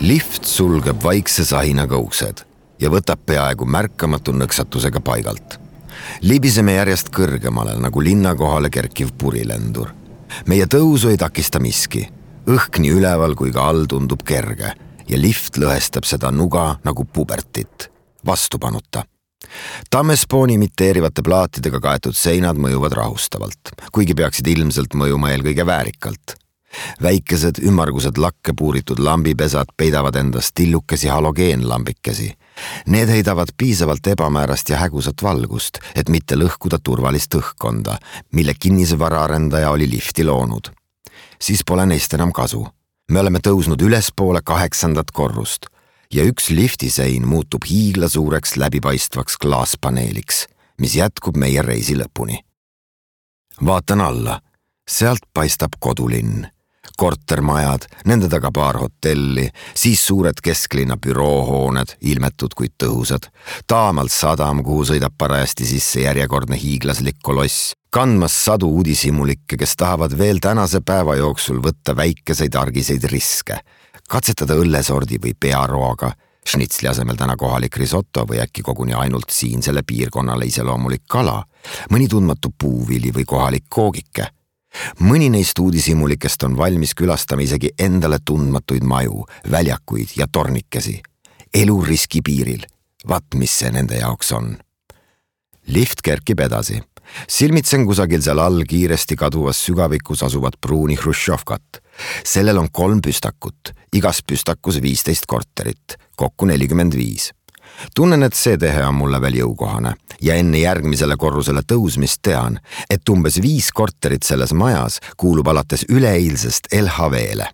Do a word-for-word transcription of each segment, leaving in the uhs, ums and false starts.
Lift sulgeb vaikse sahinaga uksed ja võtab peaaegu märkamatu nõksatusega paigalt. Libiseme järjest kõrgemale nagu linna kohale kerkiv purilendur. Meie tõusu ei takista miski. Õhk nii üleval kui ka all tundub kerge ja lift lõhestab seda nuga nagu pubertit, vastupanuta. Tammespooni imiteerivate plaatidega kaetud seinad mõjuvad rahustavalt, kuigi peaksid ilmselt mõjuma eelkõige väärikalt. Väikesed ümmargused lakke puuritud lambipesad peidavad endast tillukesi halogeenlambikesi. Need heidavad piisavalt ebamäärast ja hägusat valgust, et mitte lõhkuda turvalist õhkkonda, mille kinnisvaraarendaja oli lifti loonud. Siis pole neist enam kasu. Me oleme tõusnud ülespoole kaheksandat korrust ja üks liftisein muutub hiigla suureks läbipaistvaks klaaspaneeliks, mis jätkub meie reisi lõpuni. Vaatan alla. Sealt paistab kodulinn. Kortermajad, nende taga paar hotelli, siis suured kesklinna büroohooned, ilmetud kuid tõhusad, taamalt sadam, kuhu sõidab parajasti sisse järjekordne hiiglaslik koloss, kandmas sadu uudishimulikke, kes tahavad veel tänase päeva jooksul võtta väikeseid argiseid riske, katsetada õllesordi või pearoaga, šnitsli asemel täna kohalik risotto või äkki koguni ainult siinsele piirkonnale iseloomulik kala, mõni tundmatu puuvili või kohalik koogike. Mõni neist uudishimulikest on valmis külastama isegi endale tundmatuid maju, väljakuid ja tornikesi. Elu riski piiril. Vaat, mis see nende jaoks on. Lift kerkib edasi. Silmitsen kusagil seal all kiiresti kaduvas sügavikus asuvat pruuni Hruštšovkat. Sellel on kolm püstakut, igas püstakus viisteist korterit, kokku nelikümmend viis. Tunnen, et see tehe on mulle veel jõukohane ja enne järgmisele korrusele tõusmist tean, et umbes viis korterit selles majas kuulub alates üleeilsest L H V-le.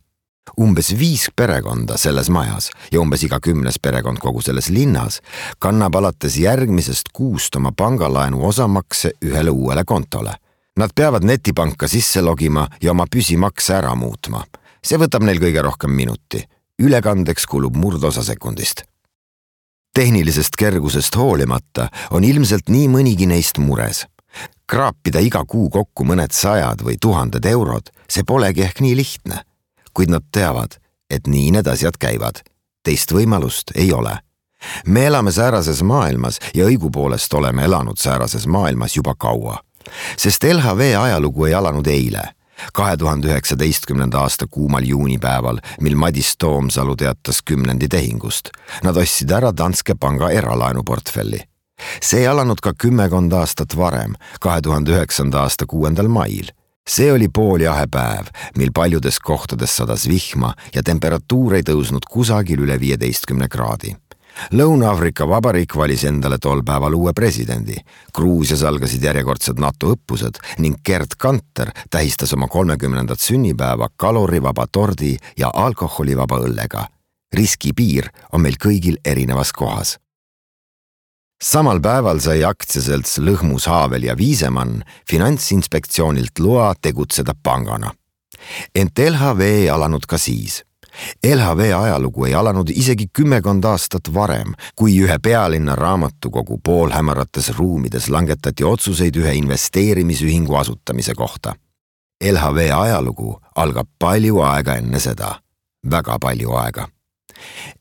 Umbes viis perekonda selles majas ja umbes iga kümnes perekond kogu selles linnas kannab alates järgmisest kuust oma pangalaenu osamakse ühele uuele kontole. Nad peavad netipanka sisse logima ja oma püsimakse ära muutma. See võtab neil kõige rohkem minuti. Ülekandeks kulub murdosa sekundist. Tehnilisest kergusest hoolimata on ilmselt nii mõnigi neist mures. Kraapida iga kuu kokku mõned sajad või tuhanded eurod, see polegi ehk nii lihtne. Kuid nad teavad, et nii need asjad käivad. Teist võimalust ei ole. Me elame säärases maailmas ja õigupoolest oleme elanud säärases maailmas juba kaua. Sest L H V ajalugu ei alanud eile. kahe tuhande üheksateistkümnenda aasta kuumal juunipäeval, mil Madis Toomsalu teatas kümnendi tehingust. Nad ostsid ära Danske panga eralaenuportfelli. See alanud ka kümmekond aastat varem, kahe tuhande üheksanda aasta kuuendal mail. See oli pooljahe päev, mil paljudes kohtades sadas vihma ja temperatuur ei tõusnud kusagil üle viieteistkümne kraadi. Lõuna-Aafrika Vabariik valis endale tol päeval uue presidendi. Gruusias algasid järjekordsed NATO õppused ning Gerd Kanter tähistas oma kolmekümnendat sünnipäeva kalorivaba tordi ja alkoholivaba õllega. Riskipiir on meil kõigil erinevas kohas. Samal päeval sai aktsiaselts Lõhmus, Haavel ja Viisemann Finantsinspektsioonilt loa tegutseda pangana. Ent L H V ei alanud ka siis. L H V ajalugu ei alanud isegi kümmekond aastat varem, kui ühe pealinna raamatukogu poolhämarates ruumides langetati otsuseid ühe investeerimisühingu asutamise kohta. L H V ajalugu algab palju aega enne seda. Väga palju aega.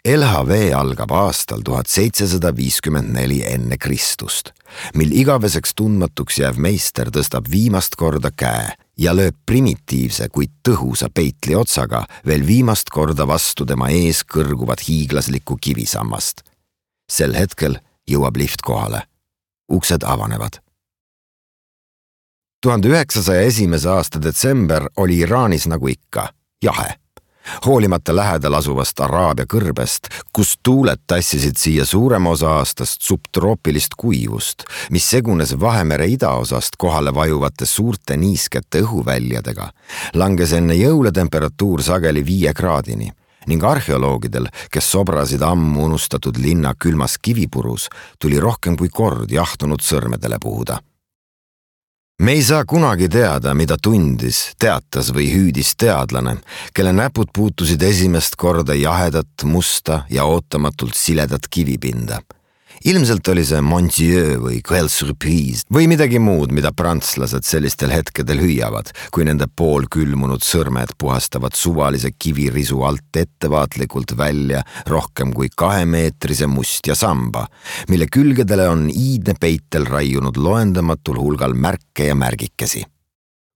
L H V algab aastal tuhat seitsesada viiskümmend neli enne Kristust, mil igaveseks tundmatuks jääv meister tõstab viimast korda käe ja lööb primitiivse, kuid tõhusa peitli otsaga veel viimast korda vastu tema ees kõrguvat hiiglaslikku kivisammast. Sel hetkel jõuab lift kohale. Uksed avanevad. tuhande üheksasaja esimese aasta detsember oli Iraanis nagu ikka, jahe. Hoolimata lähedal asuvast Araabia kõrbest, kus tuuled tassisid siia suurema osa aastast subtroopilist kuivust, mis segunes Vahemere idaosast kohale vajuvate suurte niiskete õhuväljadega, langes enne jõule temperatuur sageli viie kraadini ning arheoloogidel, kes sobrasid ammu unustatud linna külmas kivipurus, tuli rohkem kui kord jahtunud sõrmedele puhuda. Me ei saa kunagi teada, mida tundis, teatas või hüüdis teadlane, kelle näpud puutusid esimest korda jahedat, musta ja ootamatult siledat kivipinda. Ilmselt oli see Mon Dieu või Quelle surprise või midagi muud, mida prantslased sellistel hetkedel hüüavad, kui nende poolkülmunud sõrmed puhastavad suvalise kivirisu alt ettevaatlikult välja rohkem kui kahemeetrise mustja samba, mille külgedele on iidne peitel raiunud loendamatul hulgal märke ja märgikesi.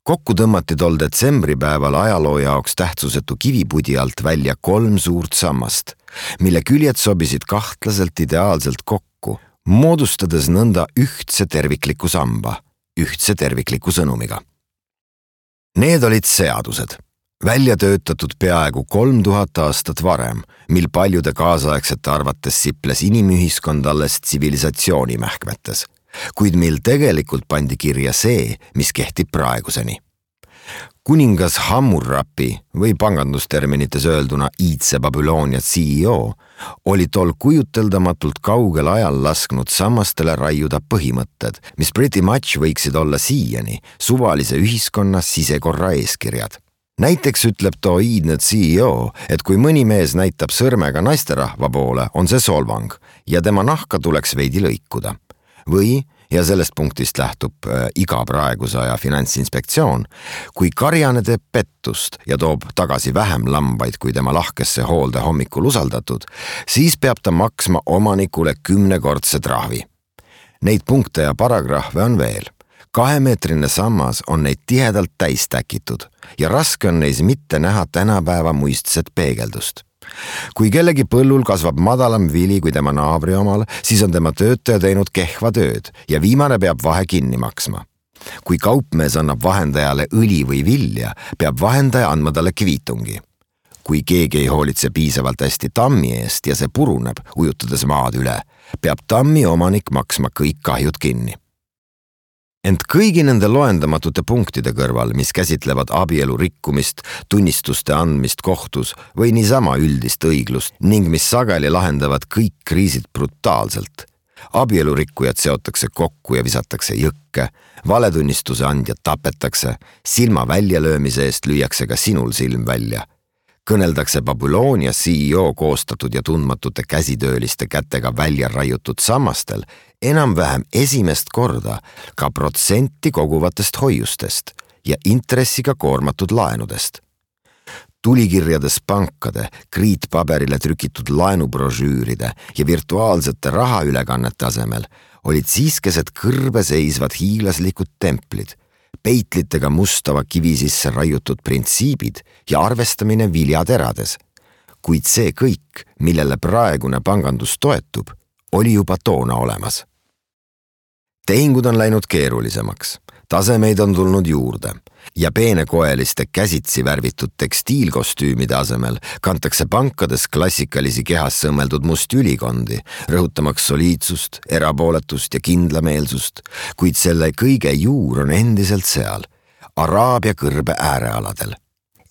Kokku tõmmati tol detsembripäeval ajaloo jaoks tähtsusetu kivipudi alt välja kolm suurt sammast, mille küljed sobisid kahtlaselt ideaalselt kokku, moodustades nõnda ühtse tervikliku samba, ühtse tervikliku sõnumiga. Need olid seadused, välja töötatud peaaegu kolm tuhat aastat varem, mil paljude kaasaegsete arvates siples inimühiskond alles tsivilisatsiooni mähkmetes, kuid mil tegelikult pandi kirja see, mis kehtib praeguseni. Kuningas Hammurapi või pangandusterminites öelduna iidse Babyloonia C E O oli tol kujuteldamatult kaugel ajal lasknud sammastele raiuda põhimõtted, mis pretty much võiksid olla siiani suvalise ühiskonna sisekorra eeskirjad. Näiteks ütleb too iidne C E O, et kui mõni mees näitab sõrmega naisterahva poole, on see solvang ja tema nahka tuleks veidi lõikuda. Või, ja sellest punktist lähtub äh, iga praeguse aja finantsinspektsioon, kui karjane teeb pettust ja toob tagasi vähem lambaid kui tema lahkesse hoolde hommikul usaldatud, siis peab ta maksma omanikule kümnekordse trahvi. Neid punkte ja paragrahve on veel. Kahemeetrine sammas on neid tihedalt täis täkitud ja raske on neis mitte näha tänapäeva muistset peegeldust. Kui kellegi põllul kasvab madalam vili kui tema naabri omal, siis on tema töötaja teinud kehva tööd ja viimane peab vahe kinni maksma. Kui kaupmees annab vahendajale õli või vilja, peab vahendaja andma talle kviitungi. Kui keegi ei hoolitse piisavalt hästi tammi eest ja see puruneb, ujutades maad üle, peab tammi omanik maksma kõik kahjud kinni. Ent kõigi nende loendamatute punktide kõrval, mis käsitlevad abielu rikkumist, tunnistuste andmist kohtus või niisama üldist õiglust ning mis sageli lahendavad kõik kriisid brutaalselt. Abielu rikkujad seotakse kokku ja visatakse jõkke, valetunnistuse andjad tapetakse, silma väljalöömise eest lüüakse ka sinul silm välja. Kõneldakse Babyloonia C E O koostatud ja tundmatute käsitööliste kätega välja raiutud sammastel enam-vähem esimest korda ka protsenti koguvatest hoiustest ja intressiga koormatud laenudest. Tulikirjades pankade, kriitpaberile trükitud laenubrožüüride ja virtuaalsete rahaülekannete asemel olid siiskesed kõrbe seisvad hiiglaslikud templid, peitlitega mustava kivi sisse raiutud printsiibid ja arvestamine viljaterades. Kuid see kõik, millele praegune pangandus toetub, oli juba toona olemas. Tehingud on läinud keerulisemaks, tasemeid on tulnud juurde ja peenekoeliste käsitsi värvitud tekstiilkostüümide asemel kantakse pankades klassikalisi kehas sõmmeldud musti ülikondi, rõhutamaks soliidsust, erapooletust ja kindlameelsust, kuid selle kõige juur on endiselt seal, Araabia kõrbe äärealadel.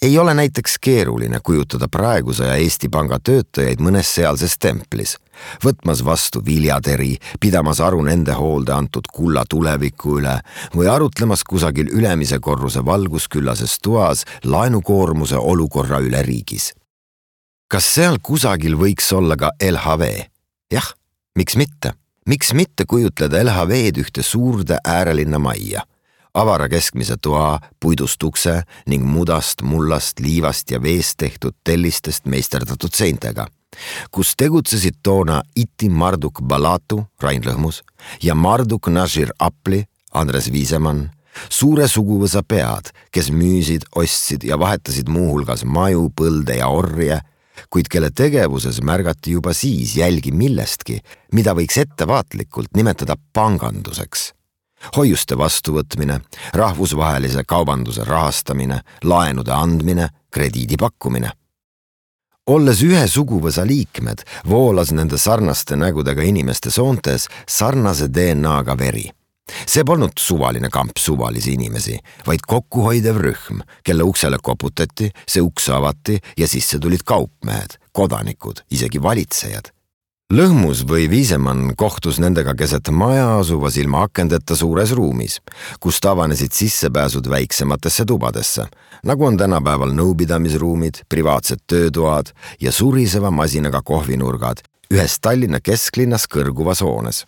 Ei ole näiteks keeruline kujutada praeguse ja Eesti Panga töötajaid mõnes sealses templis, võtmas vastu viljateri, pidamas aru nende hoolde antud kulla tuleviku üle või arutlemas kusagil ülemise korruse valgusküllases toas laenukoormuse olukorra üle riigis. Kas seal kusagil võiks olla ka L H V? Jah, miks mitte? Miks mitte kujutleda L H V-d ühte suurde äärelinna majja? Avara keskmise toa, puidust ukse ning mudast, mullast, liivast ja veest tehtud tellistest meisterdatud seintega, kus tegutsesid toona Iti Marduk Balatu, Rain Lõhmus, ja Marduk Nashir Apli, Andres Viisemann, suure suguvõsa pead, kes müüsid, ostsid ja vahetasid muuhulgas maju, põlde ja orje, kuid kelle tegevuses märgati juba siis jälgi millestki, mida võiks ettevaatlikult nimetada panganduseks. Hoiuste vastuvõtmine, rahvusvahelise kaubanduse rahastamine, laenude andmine, krediidi pakkumine. Olles ühe suguvõsa liikmed, voolas nende sarnaste nägudega inimeste soontes sarnase D N A-ga veri. See polnud suvaline kamp suvalisi inimesi, vaid kokkuhoidev rühm, kelle uksele koputati, see uks avati ja sisse tulid kaupmehed, kodanikud, isegi valitsejad. Lõhmus või Viisemann kohtus nendega keset maja asuvas ilma akendeta suures ruumis, kus avanesid sissepääsud väiksematesse tubadesse, nagu on tänapäeval nõupidamisruumid, privaatsed töötoad ja suriseva masinaga kohvinurgad, ühes Tallinna kesklinnas kõrguvas hoones.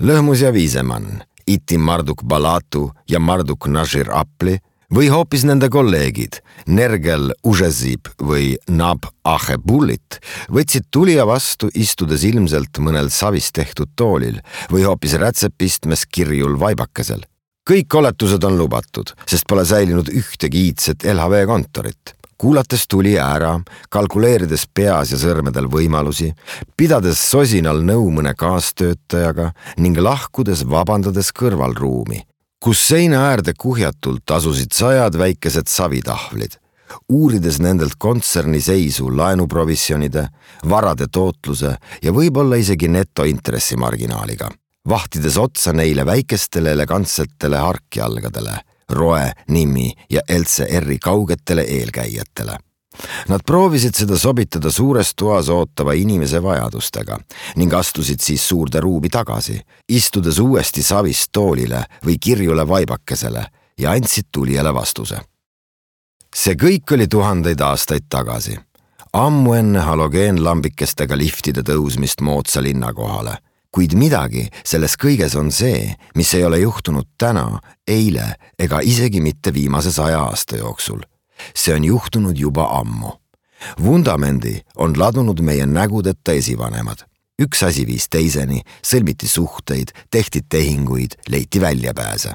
Lõhmus ja Viisemann, Iti Marduk Balatu ja Marduk Nashir Apli või hoopis nende kolleegid Nergel Užezib või Nab Ahebullit võtsid tulija vastu istudes ilmselt mõnel savist tehtud toolil või hoopis rätsepistmes kirjul vaibakesel. Kõik oletused on lubatud, sest pole säilinud ühtegi iidset L H V kontorit. Kuulates tulija ära, kalkuleerides peas ja sõrmedel võimalusi, pidades sosinal nõu mõne kaastöötajaga ning lahkudes vabandades kõrvalruumi, kus seina äärde kuhjatult asusid sajad väikesed savitahvlid, uurides nendelt kontserni seisu laenuprovisjonide, varade tootluse ja võib-olla isegi netointressimarginaaliga, vahtides otsa neile väikestele elegantsetele harkjalgadele, Roe, Nimi ja L C R-i kaugetele eelkäijatele. Nad proovisid seda sobitada suures toas ootava inimese vajadustega ning astusid siis suurde ruumi tagasi, istudes uuesti savist toolile või kirjule vaibakesele ja andsid tulijale vastuse. See kõik oli tuhandeid aastaid tagasi, ammu enne halogeenlambikestega liftide tõusmist moodsa linna kohale. Kuid midagi selles kõiges on see, mis ei ole juhtunud täna, eile ega isegi mitte viimase saja aasta jooksul. See on juhtunud juba ammu. Vundamendi on ladunud meie nägudeta esivanemad. Üks asi viis teiseni, sõlmiti suhteid, tehti tehinguid, leiti väljapääse.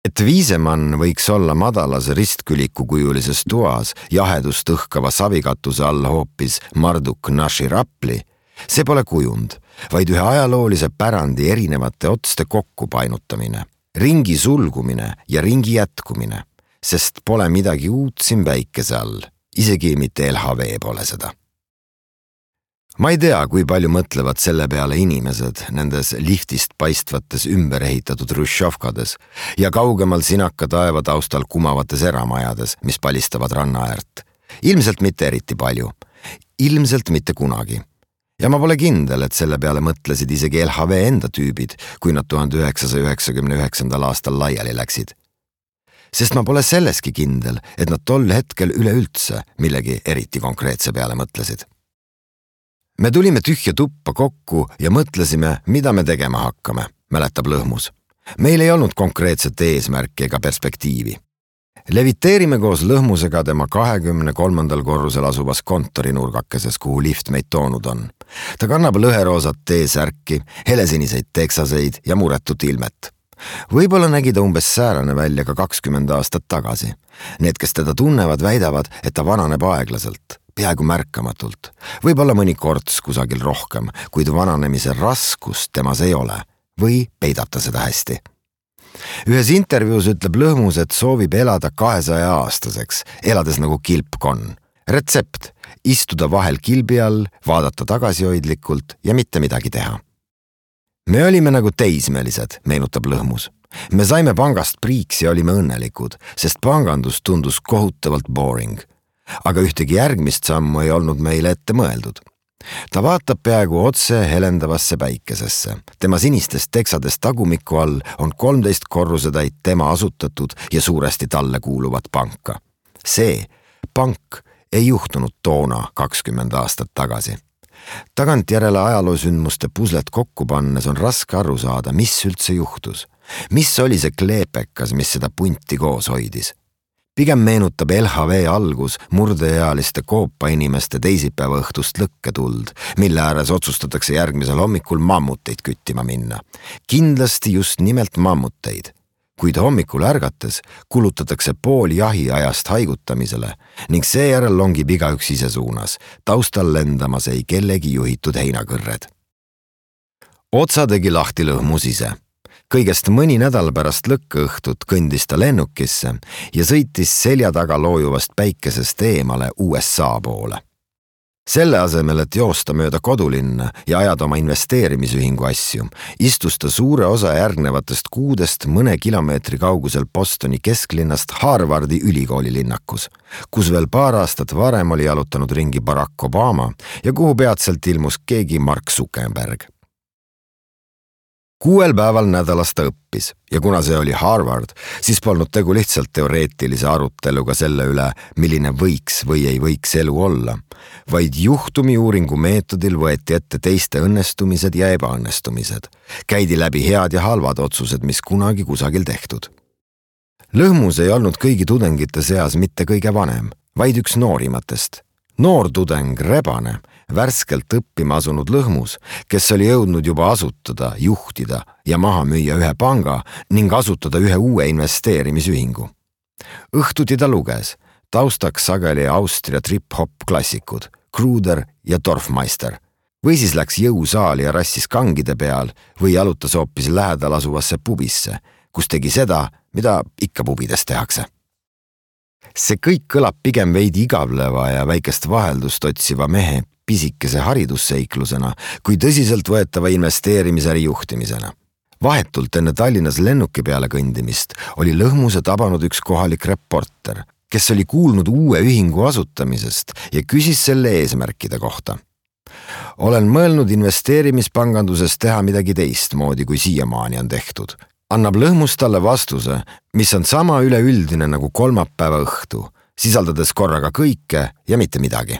Et Viisemann võiks olla madalas ristkülikukujulises toas jahedust õhkava savikatuse all hoopis Marduk Nashir Apli, see pole kujund, vaid ühe ajaloolise pärandi erinevate otste kokkupainutamine, ringi sulgumine ja ringi jätkumine, sest pole midagi uut siin päikese all, isegi mitte L H V pole seda. Ma ei tea, kui palju mõtlevad selle peale inimesed nendes liftist paistvates ümberehitatud Hruštšovkades ja kaugemal sinaka taeva taustal kumavates eramajades, mis palistavad ranna äärt. Ilmselt mitte eriti palju, ilmselt mitte kunagi. Ja ma pole kindel, et selle peale mõtlesid isegi L H V enda tüübid, kui nad tuhande üheksasaja üheksakümne üheksandal aastal laiali läksid. Sest ma pole selleski kindel, et nad tol hetkel üleüldse millegi eriti konkreetse peale mõtlesid. Me tulime tühja tuppa kokku ja mõtlesime, mida me tegema hakkame, mäletab Lõhmus. Meil ei olnud konkreetset eesmärki ega perspektiivi. Leviteerime koos Lõhmusega tema kahekümne kolmandal korrusel asuvas kontorinurgakeses, kuhu lift meid toonud on. Ta kannab lõheroosat T-särki, helesiniseid teksaseid ja muretut ilmet. Võib-olla nägi ta umbes säärane välja ka kakskümmend aastat tagasi. Need, kes teda tunnevad, väidavad, et ta vananeb aeglaselt, peaaegu märkamatult. Võib-olla mõni korts kusagil rohkem, kuid vananemise raskust temas ei ole või peidab ta seda hästi. Ühes intervjuus ütleb Lõhmus, et soovib elada kahesaja aastaseks, elades nagu kilpkonn. Retsept, istuda vahel kilbi all, vaadata tagasihoidlikult ja mitte midagi teha. Me olime nagu teismelised, meenutab Lõhmus. Me saime pangast priiks ja olime õnnelikud, sest pangandus tundus kohutavalt boring. Aga ühtegi järgmist sammu ei olnud meile ette mõeldud. Ta vaatab peaaegu otse helendavasse päikesesse. Tema sinistest teksadest tagumiku all on kolmteist korrusetäit tema asutatud ja suuresti talle kuuluvat panka. See pank ei juhtunud toona kakskümmend aastat tagasi. Tagantjärele ajaloosündmuste puslet kokku pannes on raske aru saada, mis üldse juhtus. Mis oli see kleepekas, mis seda punti koos hoidis? Pigem meenutab L H V algus murdeealiste koopa inimeste teisipäeva õhtust lõkketuld, mille ääres otsustatakse järgmisel hommikul mammuteid küttima minna. Kindlasti just nimelt mammuteid. Kuid hommikul ärgates kulutatakse pool jahiajast haigutamisele ning seejärel longib igaüks ise suunas, taustal lendamas ei kellegi juhitud heinakõrred. Otsa tegi lahti Lõhmus ise. Kõigest mõni nädal pärast lõkkeõhtut kõndis ta lennukisse ja sõitis selja taga loojuvast päikesest eemale U S A poole. Selle asemel, et joosta mööda kodulinna ja ajada oma investeerimisühingu asju, istus ta suure osa järgnevatest kuudest mõne kilomeetri kaugusel Bostoni kesklinnast Harvardi ülikooli linnakus, kus veel paar aastat varem oli jalutanud ringi Barack Obama ja kuhu peatselt ilmus keegi Mark Zuckerberg. Kuuel päeval nädalas ta õppis ja kuna see oli Harvard, siis polnud tegu lihtsalt teoreetilise aruteluga selle üle, milline võiks või ei võiks elu olla, vaid juhtumiuuringu meetodil võeti ette teiste õnnestumised ja ebaõnnestumised. Käidi läbi head ja halvad otsused, mis kunagi kusagil tehtud. Lõhmus ei olnud kõigi tudengite seas mitte kõige vanem, vaid üks noorimatest. Noor tudeng Rebane, värskelt õppima asunud Lõhmus, kes oli jõudnud juba asutada, juhtida ja maha müüa ühe panga ning asutada ühe uue investeerimisühingu. Õhtuti ta luges, taustaks sageli Austria trip-hop klassikud, Kruder ja Dorfmeister. Või siis läks jõusaali ja rassis kangide peal või jalutas hoopis lähedal asuvasse pubisse, kus tegi seda, mida ikka pubides tehakse. See kõik kõlab pigem veidi igavleva ja väikest vaheldust otsiva mehe pisikese haridusseiklusena kui tõsiselt võetava investeerimisäri juhtimisena. Vahetult enne Tallinnas lennuki peale kõndimist oli Lõhmuse tabanud üks kohalik reporter, kes oli kuulnud uue ühingu asutamisest ja küsis selle eesmärkide kohta. Olen mõelnud investeerimispanganduses teha midagi teistmoodi, kui siiamaani on tehtud. Annab Lõhmus talle vastuse, mis on sama üleüldine nagu kolmapäeva õhtu, sisaldades korraga kõike ja mitte midagi.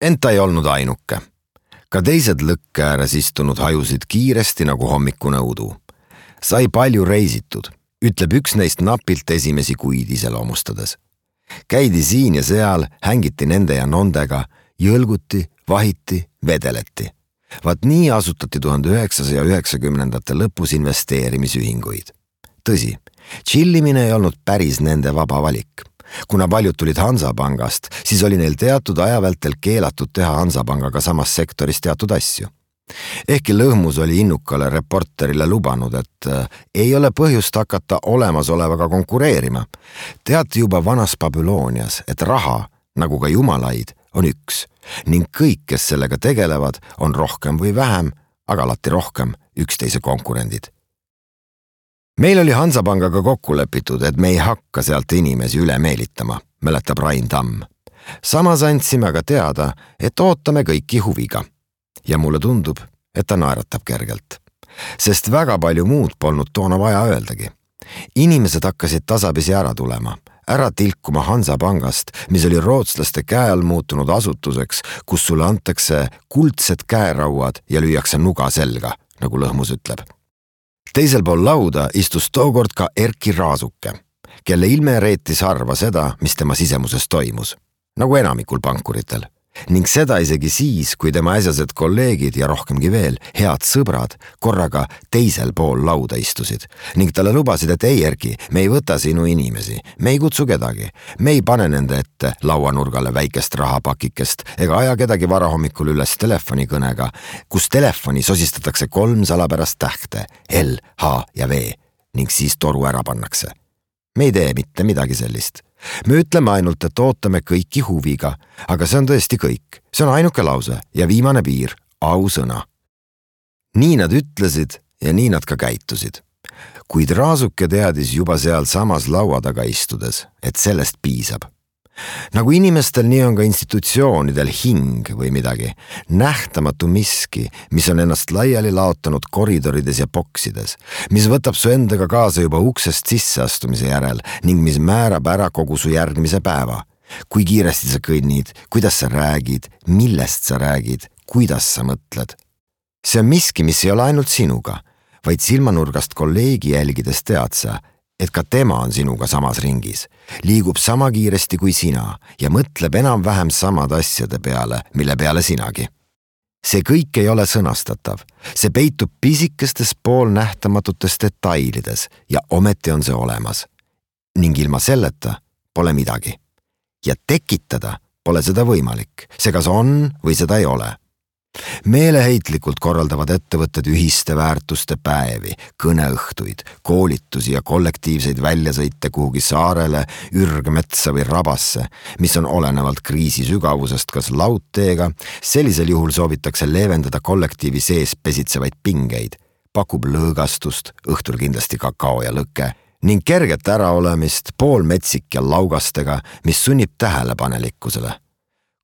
Ent ta ei olnud ainuke. Ka teised lõkke ääres istunud hajusid kiiresti nagu hommikune udu. Sai palju reisitud, ütleb üks neist napilt esimesi kuid iseloomustades. Käidi siin ja seal, hängiti nende ja nondega, jõlguti, vahiti, vedeleti. Vaat nii asutati tuhande üheksasaja üheksakümnendate lõpus investeerimisühinguid. Tõsi, chillimine ei olnud päris nende vaba valik. Kuna paljud tulid Hansapangast, siis oli neil teatud ajavältel keelatud teha Hansapangaga samas sektoris teatud asju. Ehkki Lõhmus oli innukale reporterile lubanud, et ei ole põhjust hakata olemasolevaga konkureerima. Teati juba vanas Babylonias, et raha, nagu ka jumalaid, on üks ning kõik, kes sellega tegelevad, on rohkem või vähem, aga alati rohkem üksteise konkurendid. Meil oli Hansapangaga kokku lepitud, et me ei hakka sealt inimesi üle meelitama, mäletab Rain Tamm. Samas andsime aga teada, et ootame kõiki huviga. Ja mulle tundub, et ta naeratab kergelt. Sest väga palju muud polnud toona vaja öeldagi. Inimesed hakkasid tasapisi ära tulema, ära tilkuma Hansapangast, mis oli rootslaste käe all muutunud asutuseks, kus sulle antakse kuldsed käerauad ja lüüakse nuga selga, nagu Lõhmus ütleb. Teisel pool lauda istus tookord ka Erki Raasuke, kelle ilme reetis harva seda, mis tema sisemuses toimus, nagu enamikul pankuritel. Ning seda isegi siis, kui tema äsjased kolleegid ja rohkemgi veel, head sõbrad, korraga teisel pool lauda istusid ning talle lubasid, et ei Erki, me ei võta sinu inimesi, me ei kutsu kedagi, me ei pane nende ette lauanurgale väikest rahapakikest ega aja kedagi varahommikul üles telefonikõnega, kus telefoni sosistatakse kolm salapärast tähte, L, H ja V ning siis toru ära pannakse. Me ei tee mitte midagi sellist. Me ütleme ainult, et ootame kõiki huviga, aga see on tõesti kõik. See on ainuke lause ja viimane piir, ausõna. Nii nad ütlesid ja nii nad ka käitusid. Kuid Raasuke teadis juba seal samas laua taga istudes, et sellest piisab. Nagu inimestel, nii on ka institutsioonidel hing või midagi, nähtamatu miski, mis on ennast laiali laotanud koridorides ja boksides, mis võtab su endaga kaasa juba uksest sisseastumise järel ning mis määrab ära kogu su järgmise päeva. Kui kiiresti sa kõnnid, kuidas sa räägid, millest sa räägid, kuidas sa mõtled. See on miski, mis ei ole ainult sinuga, vaid silmanurgast kolleegi jälgides tead sa, et ka tema on sinuga samas ringis, liigub sama kiiresti kui sina ja mõtleb enam-vähem samad asjade peale, mille peale sinagi. See kõik ei ole sõnastatav, see peitub pisikestes poolnähtamatutes detailides ja ometi on see olemas. Ning ilma selleta pole midagi. Ja tekitada pole seda võimalik, see kas on või seda ei ole. Meeleheitlikult korraldavad ettevõtted ühiste väärtuste päevi, kõneõhtuid, koolitusi ja kollektiivseid väljasõite kuhugi saarele, ürgmetsa või rabasse, mis on olenevalt kriisi sügavusest kas laudteega, sellisel juhul soovitakse leevendada kollektiivi sees pesitsevaid pingeid, pakub lõõgastust, õhtul kindlasti kakao ja lõke, ning kerget äraolemist poolmetsik ja laugastega, mis sunnib tähelepanelikkusele.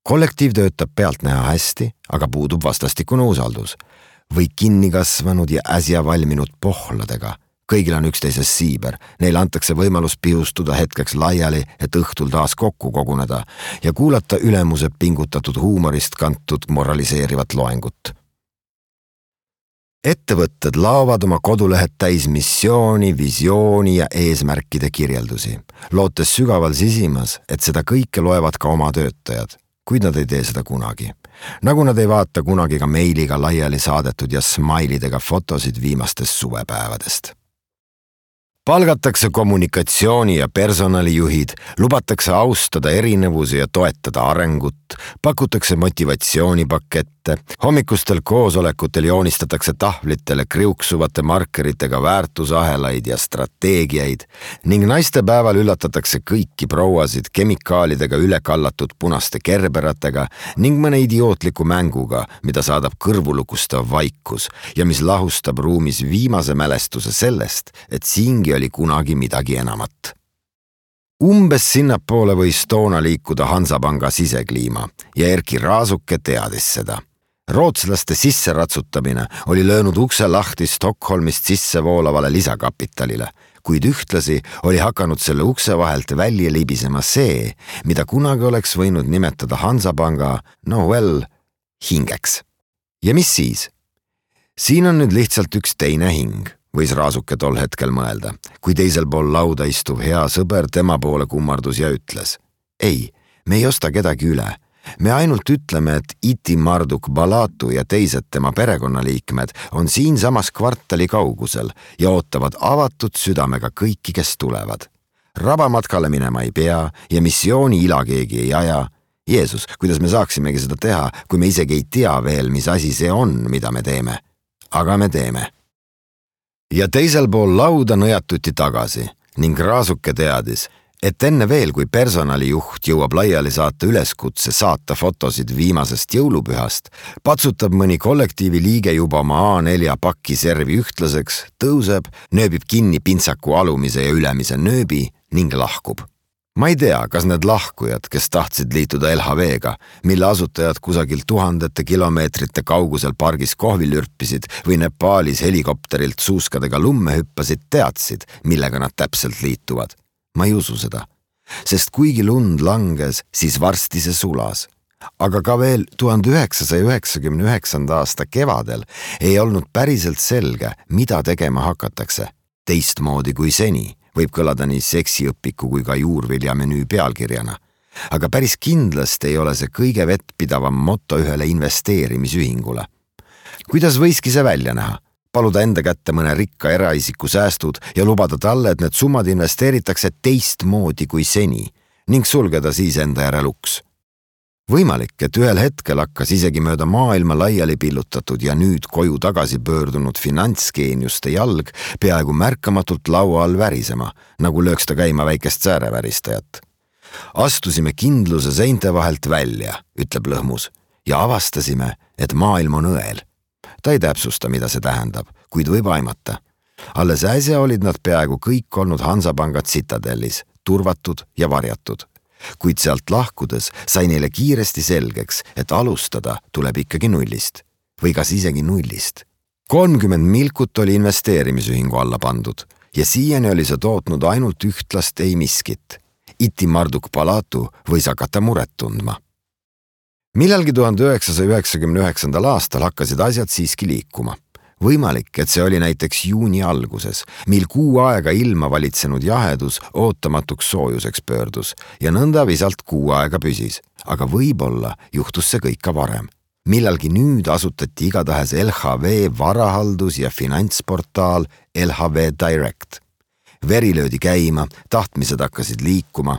Kollektiiv töötab pealtnäha hästi, aga puudub vastastikune usaldus. või kinni kasvanud ja äsja valminud pohladega. Kõigil on üksteises siiber, neile antakse võimalus pihustuda hetkeks laiali, et õhtul taas kokku koguneda ja kuulata ülemuse pingutatud huumorist kantud moraliseerivat loengut. Ettevõtted laovad oma kodulehed täis missiooni, visiooni ja eesmärkide kirjeldusi, lootes sügaval sisimas, et seda kõike loevad ka oma töötajad, kuid nad ei tee seda kunagi. Nagu nad ei vaata kunagi ka meiliga laiali saadetud ja smailidega fotosid viimastest suvepäevadest. Palgatakse kommunikatsiooni ja personalijuhid, lubatakse austada erinevusi ja toetada arengut, pakutakse motivatsioonipakette, hommikustel koosolekutel joonistatakse tahvlitele kriuksuvate markeritega väärtusahelaid ja strateegiaid ning naistepäeval üllatatakse kõiki prouasid kemikaalidega üle kallatud punaste kerberatega ning mõne idiootliku mänguga, mida saadab kõrvulukustav vaikus ja mis lahustab ruumis viimase mälestuse sellest, et siingi oli kunagi midagi enamat. Umbes sinnapoole võis toona liikuda Hansapanga sisekliima ja Erki Raasuke teadis seda. Rootslaste sisseratsutamine oli löönud ukse lahti Stockholmist sissevoolavale lisakapitalile, kuid ühtlasi oli hakanud selle ukse vahelt välja libisema see, mida kunagi oleks võinud nimetada Hansapanga, no well, hingeks. Ja mis siis? Siin on nüüd lihtsalt üks teine hing, võis Raasuke tol hetkel mõelda, kui teisel pool lauda istuv hea sõber tema poole kummardus ja ütles: ei, me ei osta kedagi üle. Me ainult ütleme, et Iti Marduk Balatu ja teised tema perekonnaliikmed on siin samas kvartali kaugusel ja ootavad avatud südamega kõiki, kes tulevad. Rabamatkale minema ei pea ja missiooni ila keegi ei aja. Jeesus, kuidas me saaksimegi seda teha, kui me isegi ei tea veel, mis asi see on, mida me teeme. Aga me teeme. Ja teisel pool lauda nõjatuti tagasi ning Raasuke teadis, et enne veel, kui personalijuht jõuab laiali saata üleskutse saata fotosid viimasest jõulupühast, patsutab mõni kollektiivi liige juba oma A neljä pakki servi ühtlaseks, tõuseb, nööbib kinni pintsaku alumise ja ülemise nööbi ning lahkub. Ma ei tea, kas need lahkujad, kes tahtsid liituda L H V-ga, mille asutajad kusagil tuhandete kilomeetrite kaugusel pargis kohvil ürpisid või Nepaalis helikopterilt suuskadega lumme hüppasid, teadsid, millega nad täpselt liituvad. Ma ei usu seda, sest kuigi lund langes, siis varsti see sulas. Aga ka veel tuhande üheksasaja üheksakümne üheksanda aasta kevadel ei olnud päriselt selge, mida tegema hakatakse. Teistmoodi kui seni. Võib kõlada nii seksiõpiku kui ka juurvilja menüü pealkirjana. Aga päris kindlasti ei ole see kõige vettpidavam motto ühele investeerimisühingule. Kuidas võiski see välja näha? Paluda enda kätte mõne rikka eraisiku säästud ja lubada talle, et need summad investeeritakse teistmoodi kui seni ning sulgeda siis enda järel uks. Võimalik, et ühel hetkel hakkas isegi mööda maailma laiali pillutatud ja nüüd koju tagasi pöördunud finantsgeeniuste jalg peaaegu märkamatult laua all värisema, nagu lööks ta käima väikest sääreväristajat. Astusime kindluse seinte vahelt välja, ütleb Lõhmus, ja avastasime, et maailm on õel. Ta ei täpsusta, mida see tähendab, kuid võib aimata. Alles äsja olid nad peaaegu kõik olnud Hansapangad Citadellis, turvatud ja varjatud. Kuid sealt lahkudes sai neile kiiresti selgeks, et alustada tuleb ikkagi nullist. Või kas isegi nullist. kolmkümmend milkut oli investeerimisühingu alla pandud ja siiani oli see tootnud ainult ühtlast ei miskit. Iti Marduk Balatu võis hakata muret tundma. Millalgi tuhande üheksasaja üheksakümne üheksandal aastal hakkasid asjad siiski liikuma. Võimalik, et see oli näiteks juuni alguses, mil kuu aega ilma valitsenud jahedus ootamatuks soojuseks pöördus ja nõnda visalt kuu aega püsis. Aga võib-olla juhtus see kõik ka varem. Millalgi nüüd asutati igatahes L H V varahaldus ja finantsportaal L H V Direct. Veri löödi käima, tahtmised hakkasid liikuma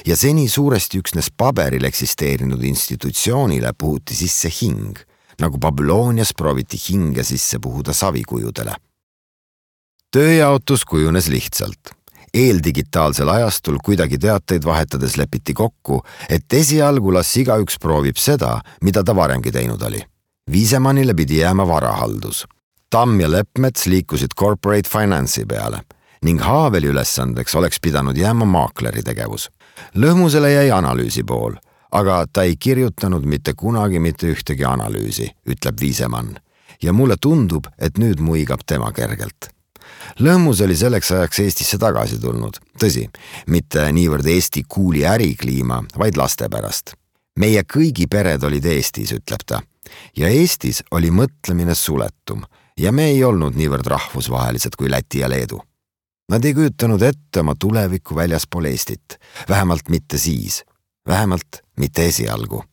ja seni suuresti üksnes paberil eksisteerinud institutsioonile puhuti sisse hing, nagu Babylonias prooviti hinge sisse puhuda savikujudele. Tööjaotus kujunes lihtsalt. Eeldigitaalsel ajastul kuidagi teateid vahetades lepiti kokku, et esialgu las igaüks proovib seda, mida ta varemgi teinud oli. Viisemannile pidi jääma varahaldus. Tamm ja Leppmets liikusid corporate finance'i peale ning Haaveli ülesandeks oleks pidanud jääma maakleri tegevus. Lõhmusele jäi analüüsi pool, aga ta ei kirjutanud mitte kunagi mitte ühtegi analüüsi, ütleb Viisemann. ja mulle tundub, et nüüd muigab tema kergelt. Lõhmus oli selleks ajaks Eestisse tagasi tulnud. Tõsi, mitte niivõrd Eesti kuuli ärikliima, vaid laste pärast. Meie kõigi pered olid Eestis, ütleb ta. Ja Eestis oli mõtlemine suletum ja me ei olnud niivõrd rahvusvahelised kui Läti ja Leedu. Nad ei kujutanud ette oma tulevikku väljaspool Eestit, vähemalt mitte siis, vähemalt mitte esialgu.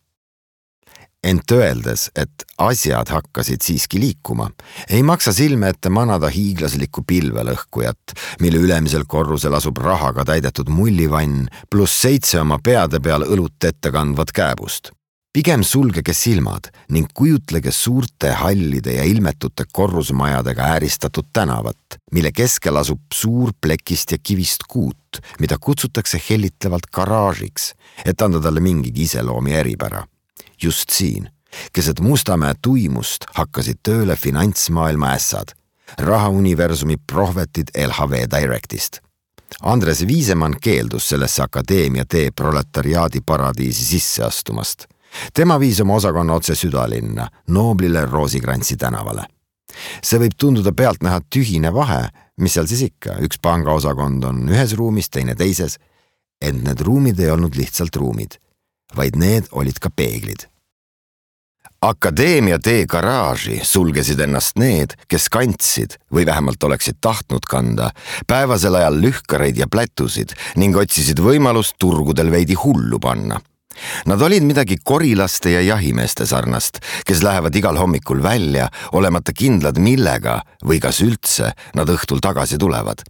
Ent öeldes, et asjad hakkasid siiski liikuma, ei maksa silme ette manada hiiglaslikku pilvelõhkujat, mille ülemisel korrusel asub rahaga täidetud mullivann pluss seitse oma peade peal õlut ette kandvat kääbust. Pigem sulgege silmad ning kujutlege suurte hallide ja ilmetute korrusmajadega ääristatud tänavat, mille keskel asub suur plekist ja kivist kuut, mida kutsutakse hellitlevalt garaažiks, et anda talle mingigi iseloomi eripära. Just siin, keset Mustamäe tuimust hakkasid tööle finantsmaailma ässad, rahauniversumi prohvetid L H V Directist. Andres Viisemann keeldus sellesse akadeemia tee proletariaadi paradiisi sisse astumast. Tema viis oma osakonna otse südalinna, nooblile Roosikrantsi tänavale. See võib tunduda pealt näha tühine vahe, mis seal siis ikka, üks pangaosakond on ühes ruumis, teine teises, ent need ruumid ei olnud lihtsalt ruumid, vaid need olid ka peeglid. Akadeemia tee garaaži sulgesid ennast need, kes kandsid või vähemalt oleksid tahtnud kanda päevasel ajal lühkareid ja plätusid ning otsisid võimalust turgudel veidi hullu panna. Nad olid midagi korilaste ja jahimeeste sarnast, kes lähevad igal hommikul välja, olemata kindlad millega või kas üldse nad õhtul tagasi tulevad.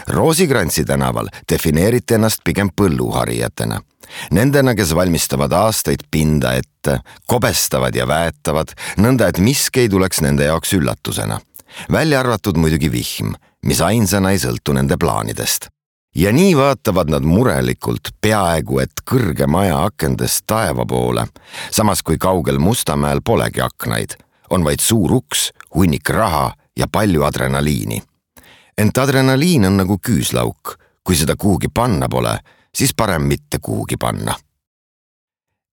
Roosikrantsi tänaval defineeriti ennast pigem põlluharijatena. Nendena, kes valmistavad aastaid pinda ette, kobestavad ja väetavad, nõnda et miski ei tuleks nende jaoks üllatusena. Välja arvatud muidugi vihm, mis ainsana ei sõltu nende plaanidest. Ja nii vaatavad nad murelikult peaaegu et kõrge maja akendest taeva poole, samas kui kaugel Mustamäel polegi aknaid, on vaid suur uks, hunnik raha ja palju adrenaliini. Ent adrenaliin on nagu küüslauk, kui seda kuhugi panna pole, siis parem mitte kuhugi panna.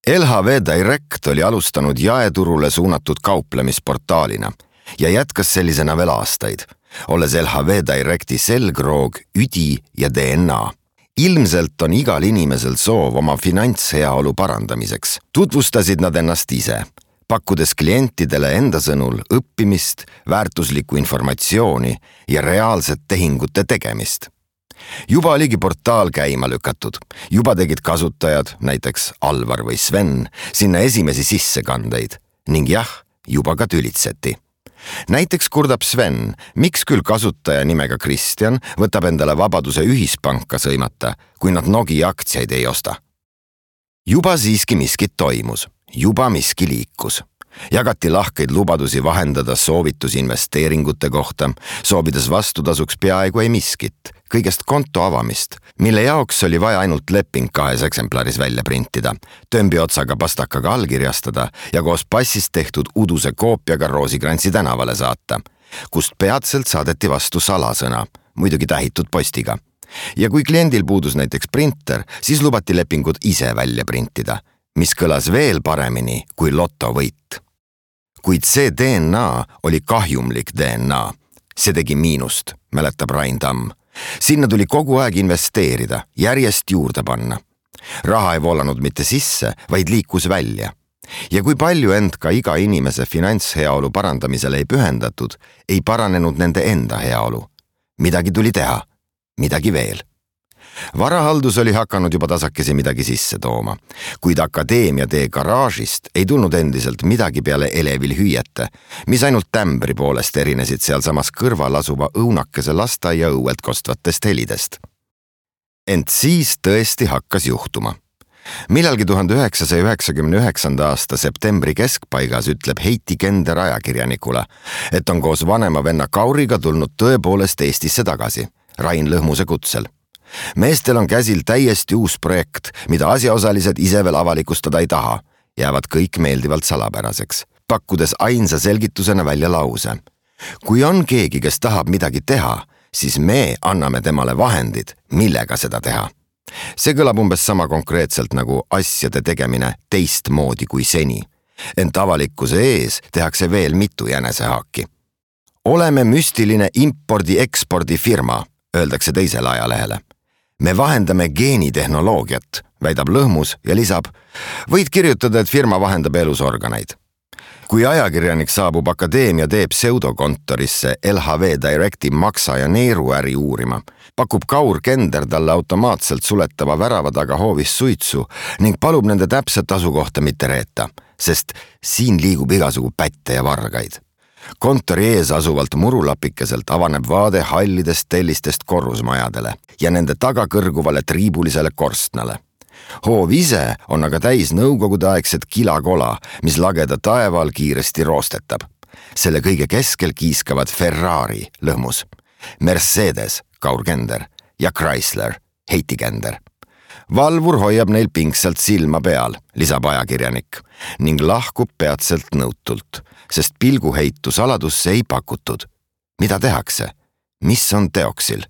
L H V Direct oli alustanud jaeturule suunatud kauplemisportaalina ja jätkas sellisena veel aastaid, olles L H V Directi selgroog, üdi ja D N A. Ilmselt on igal inimesel soov oma finantsheaolu parandamiseks. Tutvustasid nad ennast ise, pakkudes klientidele enda sõnul õppimist, väärtuslikku informatsiooni ja reaalset tehingute tegemist. Juba oligi portaal käima lükatud, juba tegid kasutajad, näiteks Alvar või Sven, sinna esimesi sissekandeid ning jah, juba ka tülitseti. Näiteks kurdab Sven, miks küll kasutaja nimega Kristjan võtab endale vabaduse ühispanka sõimata, kui nad Nogi aktsiaid ei osta. Juba siiski miskit toimus, juba miski liikus. Jagati lahkeid lubadusi vahendada soovitusinvesteeringute kohta, soovides vastutasuks peaaegu ei miskit, kõigest konto avamist, mille jaoks oli vaja ainult leping kahes eksemplaris välja printida, tömbi otsaga pastakaga allkirjastada ja koos passist tehtud uduse koopiaga Roosikrantsi tänavale saata, kust peatselt saadeti vastu salasõna, muidugi tähitud postiga. Ja kui kliendil puudus näiteks printer, siis lubati lepingud ise välja printida, mis kõlas veel paremini kui lotovõit. Kuid see D N A oli kahjumlik D N A. See tegi miinust, mäletab Rain Tamm. Sinna tuli kogu aeg investeerida, järjest juurde panna. Raha ei voolanud mitte sisse, vaid liikus välja. Ja kui palju end ka iga inimese finantsheaolu parandamisele ei pühendatud, ei paranenud nende enda heaolu. Midagi tuli teha, midagi veel. Varahaldus oli hakanud juba tasakesi midagi sisse tooma, kuid akadeemia tee garaažist ei tulnud endiselt midagi peale elevil hüüete, mis ainult tämbri poolest erinesid seal samas kõrval asuva õunakese lastaia õuelt kostvatest helidest. Ent siis tõesti hakkas juhtuma. Millalgi tuhande üheksasaja üheksakümne üheksanda aasta septembri keskpaigas ütleb Heiti Kender ajakirjanikule, et on koos vanema venna Kauriga tulnud tõepoolest Eestisse tagasi, Rain Lõhmuse kutsel. Meestel on käsil täiesti uus projekt, mida asjaosalised ise veel avalikustada ei taha, jäävad kõik meeldivalt salapäraseks, pakkudes ainsa selgitusena välja lause. Kui on keegi, kes tahab midagi teha, siis me anname temale vahendid, millega seda teha. See kõlab umbes sama konkreetselt nagu asjade tegemine teistmoodi kui seni, ent avalikkuse ees tehakse veel mitu jänesehaaki. Oleme müstiline impordi-ekspordi firma, öeldakse teisele ajalehele. Me vahendame geenitehnoloogiat, väidab Lõhmus ja lisab, võid kirjutada, et firma vahendab elusorganeid. Kui ajakirjanik saabub akadeemia teeb pseudokontorisse L H V Directi maksa- ja neeruäri uurima, pakub Kaur Kender talle automaatselt suletava värava taga hoovis suitsu ning palub nende täpset asukohta mitte reeta, sest siin liigub igasugu pätte ja vargaid. Kontori ees asuvalt murulapikeselt avaneb vaade hallidest tellistest korrusmajadele ja nende taga kõrguvale triibulisele korstnale. Hoov ise on aga täis nõukogudeaegset kilakola, mis lageda taeval kiiresti roostetab. Selle kõige keskel kiiskavad Ferrari, Lõhmus, Mercedes, Kaur Kender ja Chrysler, Heiti Kender. Valvur hoiab neil pingsalt silma peal, lisab ajakirjanik, ning lahkub peatselt nõutult, sest pilguheitu saladusse ei pakutud. Mida tehakse? Mis on teoksil?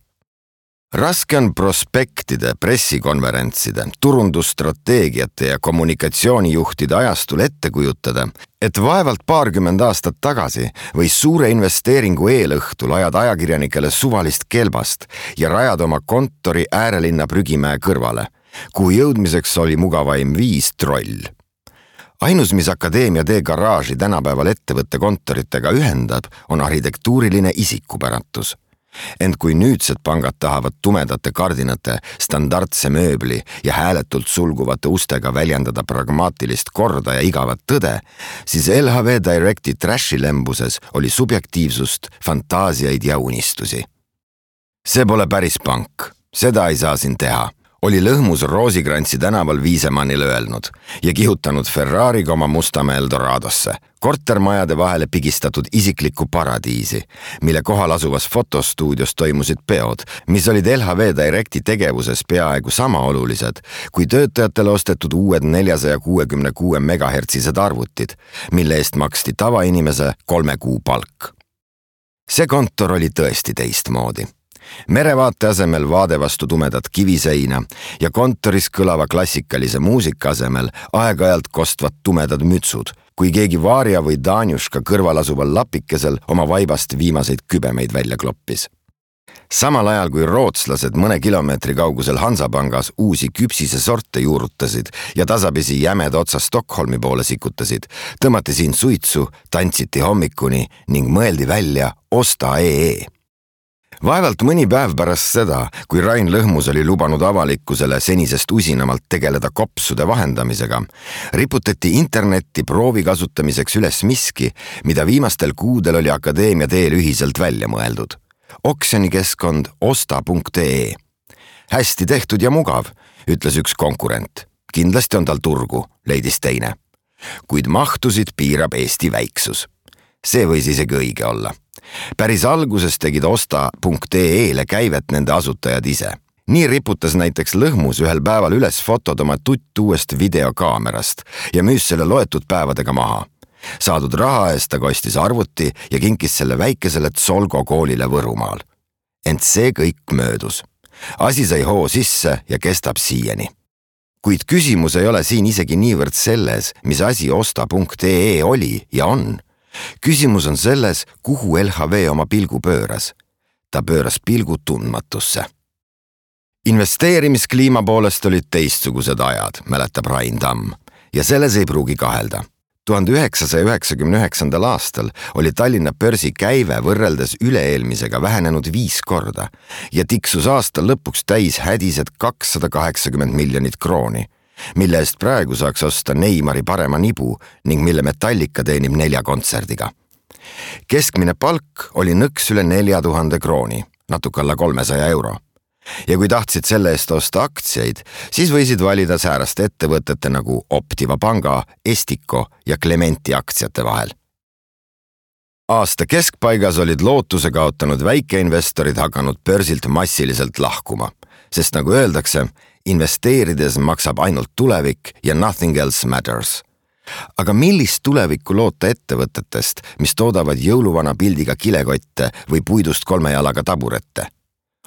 Raske on prospektide, pressikonverentside, turundusstrateegiate ja kommunikatsioonijuhtide ajastul ette kujutada, et vaevalt paarkümmend aastat tagasi võis suure investeeringu eelõhtul ajad ajakirjanikele suvalist kelbast ja rajad oma kontori äärelinna prügimäe kõrvale, kuhu jõudmiseks oli mugavaim viis troll. Ainus, mis akadeemia tee garaaži tänapäeval ettevõtte kontoritega ühendab, on arhitektuuriline isikupäratus. Ent kui nüüdsed pangad tahavad tumedate kardinate, standardse mööbli ja hääletult sulguvate ustega väljendada pragmaatilist korda ja igavat tõde, siis L H V Directi trashilembuses oli subjektiivsust, fantaasiaid ja unistusi. See pole päris pank, seda ei saa siin teha, oli Lõhmus Roosikrantsi tänaval Viisemannile öelnud ja kihutanud Ferrariga oma Mustamäe Eldoradosse, kortermajade vahele pigistatud isiklikku paradiisi, mille kohal asuvas fotostuudios toimusid peod, mis olid L H V Directi tegevuses peaaegu sama olulised, kui töötajatele ostetud uued neljasaja kuuekümne kuue megahertsised arvutid, mille eest maksti tavainimese kolme kuu palk. See kontor oli tõesti teistmoodi. Merevaate asemel vaade vastu tumedat kiviseina ja kontoris kõlava klassikalise muusika asemel aeg-ajalt kostvad tumedad mütsud, kui keegi Vaarja või Danjuška kõrval asuval lapikesel oma vaibast viimaseid kübemeid välja kloppis. Samal ajal kui rootslased mõne kilomeetri kaugusel Hansapangas uusi küpsise sorte juurutasid ja tasapisi jämeda otsa Stockholmi poole sikutasid, tõmmati siin suitsu, tantsiti hommikuni ning mõeldi välja Osta ee. Vaevalt mõni päev pärast seda, kui Rain Lõhmus oli lubanud avalikkusele senisest usinamalt tegeleda kopsude vahendamisega, riputati internetti proovi kasutamiseks üles miski, mida viimastel kuudel oli akadeemia teel ühiselt välja mõeldud. Oksjonikeskkond osta punkt ee. Hästi tehtud ja mugav, ütles üks konkurent. Kindlasti on tal turgu, leidis teine. Kuid mahtusid piirab Eesti väiksus. See võis isegi õige olla. Päris alguses tegid osta punkt ee-le käivet nende asutajad ise. Nii riputas näiteks Lõhmus ühel päeval üles fotod oma tutt uuest videokaamerast ja müüs selle loetud päevadega maha. Saadud raha eest ta kostis arvuti ja kinkis selle väikesele Tsolgo koolile Võrumaal. Ent see kõik möödus. Asi sai hoo sisse ja kestab siieni. Kuid küsimus ei ole siin isegi niivõrd selles, mis asi osta punkt ee oli ja on. Küsimus on selles, kuhu L H V oma pilgu pööras. Ta pööras pilgu tundmatusse. Investeerimiskliima poolest olid teistsugused ajad, mäletab Rain Tamm, ja selles ei pruugi kahelda. tuhande üheksasaja üheksakümne üheksandal aastal oli Tallinna börsi käive võrreldes üle-eelmisega vähenenud viis korda ja tiksus aasta lõpuks täis hädised kakssada kaheksakümmend miljonit krooni, mille eest praegu saaks osta Neimari parema nibu ning mille Metallica teenib nelja kontserdiga. Keskmine palk oli nõks üle nelja tuhande krooni, natuke alla kolmesaja euro. Ja kui tahtsid selle eest osta aktsiaid, siis võisid valida sääraste ettevõtete nagu Optiva Panga, Estico ja Clementi aktsiate vahel. Aasta keskpaigas olid lootuse kaotanud väikeinvestorid hakanud börsilt massiliselt lahkuma, sest nagu öeldakse, investeerides maksab ainult tulevik ja nothing else matters. Aga millist tulevikku loota ettevõtetest, mis toodavad jõuluvana pildiga kilekotte või puidust kolme jalaga taburette?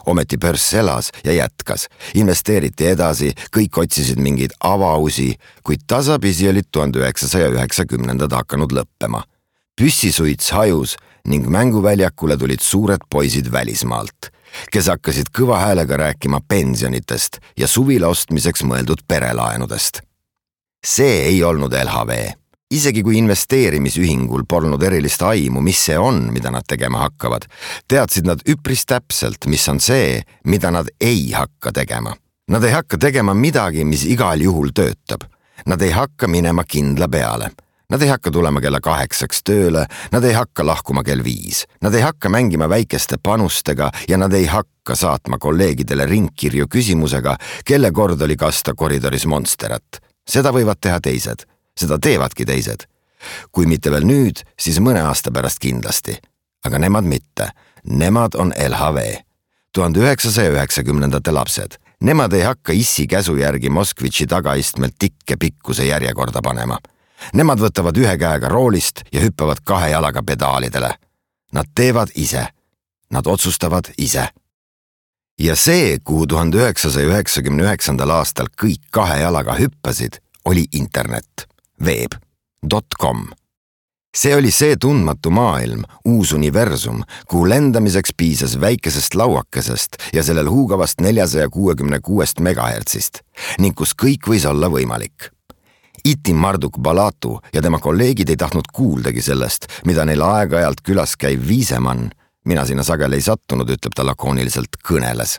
Ometi börs elas ja jätkas, investeeriti edasi, kõik otsisid mingeid avausi, kuid tasapisi olid tuhande üheksasaja üheksakümnendad hakanud lõppema. Püssisuits hajus ning mänguväljakule tulid suured poisid välismaalt, kes hakkasid kõva häälega rääkima pensionitest ja suvila ostmiseks mõeldud perelaenudest. See ei olnud L H V. Isegi kui investeerimisühingul polnud erilist aimu, mis see on, mida nad tegema hakkavad, teadsid nad üpris täpselt, mis on see, mida nad ei hakka tegema. Nad ei hakka tegema midagi, mis igal juhul töötab. Nad ei hakka minema kindla peale. Nad ei hakka tulema kella kaheksaks tööle, nad ei hakka lahkuma kell viis. Nad ei hakka mängima väikeste panustega ja nad ei hakka saatma kolleegidele ringkirju küsimusega, kelle kord oli kasta koridoris monsterat. Seda võivad teha teised. Seda teevadki teised. Kui mitte veel nüüd, siis mõne aasta pärast kindlasti. Aga nemad mitte. Nemad on L H V. tuhande üheksasaja üheksakümnendate lapsed. Nemad ei hakka issi käsu järgi Moskvitši tagaistmelt tikke pikkuse järjekorda panema. Nemad võtavad ühe käega roolist ja hüppavad kahe jalaga pedaalidele. Nad teevad ise. Nad otsustavad ise. Ja see, kuhu tuhande üheksasaja üheksakümne üheksandal aastal kõik kahe jalaga hüppasid, oli internet. Web dot com. See oli see tundmatu maailm, uus universum, kuhu lendamiseks piisas väikesest lauakesest ja sellel huugavast neljasaja kuuekümne kuuest megahertsist, ning kus kõik võis olla võimalik. Itim Marduk Balatu ja tema kolleegid ei tahtnud kuuldagi sellest, mida neil aeg-ajalt külas käiv Viisemann, mina sinna sageli ei sattunud, ütleb ta lakooniliselt, kõneles.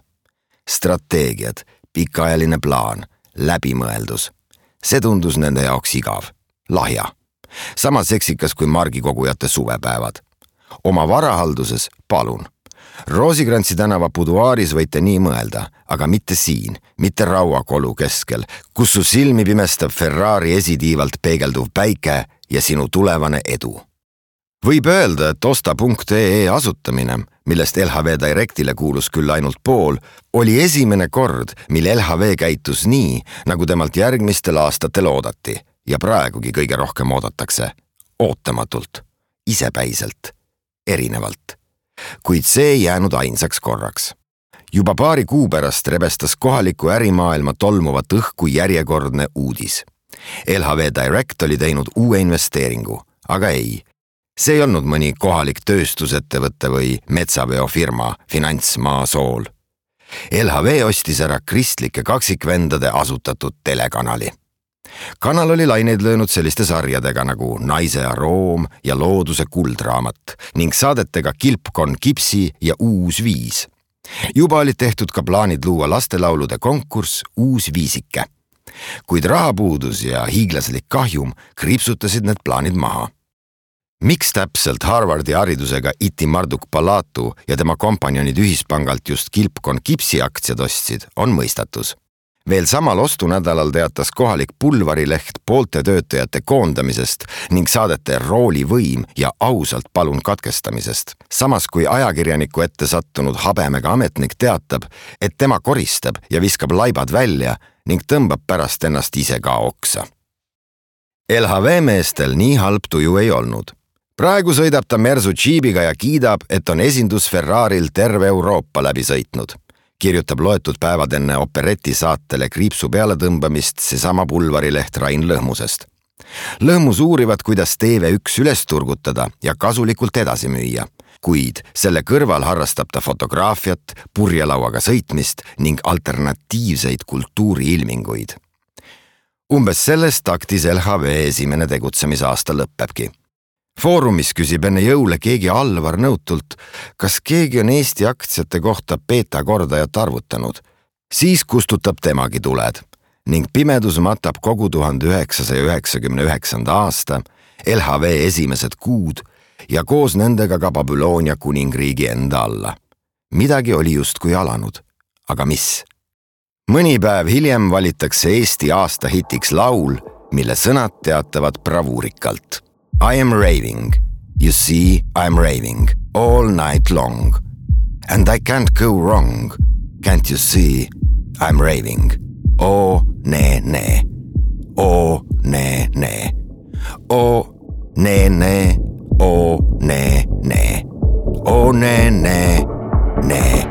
Strateegiad, pikaajaline plaan, läbimõeldus. See tundus nende jaoks igav, lahja. Sama seksikas kui margikogujate suvepäevad. Oma varahalduses palun. Roosikrantsi tänava buduaaris võite nii mõelda, aga mitte siin, mitte rauakolu keskel, kus su silmi pimestab Ferrari esitiivalt peegelduv päike ja sinu tulevane edu. Võib öelda, et osta punkt ee asutamine, millest L H V Directile kuulus küll ainult pool, oli esimene kord, mil L H V käitus nii, nagu temalt järgmistel aastatel oodati ja praegugi kõige rohkem oodatakse. Ootamatult, isepäiselt, erinevalt. Kuid see ei jäänud ainsaks korraks. Juba paari kuu pärast rebestas kohaliku ärimaailma tolmuvat õhku järjekordne uudis. L H V Direct oli teinud uue investeeringu, aga ei. See ei olnud mõni kohalik tööstusettevõtte või metsaveofirma finantsmaa sool. L H V ostis ära kristlike kaksikvendade asutatud telekanali. Kanal oli laineid löönud selliste sarjadega nagu Naise aroom ja Looduse kuldraamat ning saadetega Kilpkon Kipsi ja Uus viis. Juba olid tehtud ka plaanid luua lastelaulude konkurss Uus viisike. Kuid rahapuudus ja hiiglaslik kahjum kriipsutasid need plaanid maha. Miks täpselt Harvardi haridusega Itim Marduk Balatu ja tema kompanjonid ühispangalt just Kilpkon Kipsi aktsiad ostsid, on mõistatus. Veel samal ostunädalal teatas kohalik pulvarileht poolte töötajate koondamisest ning saadete roolivõim ja ausalt palun katkestamisest. Samas kui ajakirjaniku ette sattunud habemega ametnik teatab, et tema koristab ja viskab laibad välja ning tõmbab pärast ennast ise ka oksa. L H V meestel nii halb tuju ei olnud. Praegu sõidab ta Mersu džiibiga ja kiidab, et on esindus Ferraril terve Euroopa läbi sõitnud. Kirjutab loetud päevad enne opereti saatele kriipsu peale tõmbamist seesama pulvarileht Rain Lõhmusest. Lõhmus uurivad, kuidas T V üks üles turgutada ja kasulikult edasi müüa, kuid selle kõrval harrastab ta fotograafiat, purjelauaga sõitmist ning alternatiivseid kultuuriilminguid. Umbes sellest taktis L H V esimene tegutsemisaasta lõppebki. Foorumis küsib enne jõule keegi Alvar nõutult, kas keegi on Eesti aktsiate kohta beta kordajat arvutanud. Siis kustutab temagi tuled ning pimedus matab kogu tuhande üheksasaja üheksakümne üheksanda aasta, L H V esimesed kuud ja koos nendega ka Babyloonia kuningriigi enda alla. Midagi oli justkui alanud, aga mis? Mõni päev hiljem valitakse Eesti aasta hitiks laul, mille sõnad teatavad bravuurikalt. I am raving, you see, I am raving, all night long. And I can't go wrong, can't you see, I am raving. O, ne, ne, o, ne, ne, o, ne, ne, o, ne, ne, o, ne, ne, ne.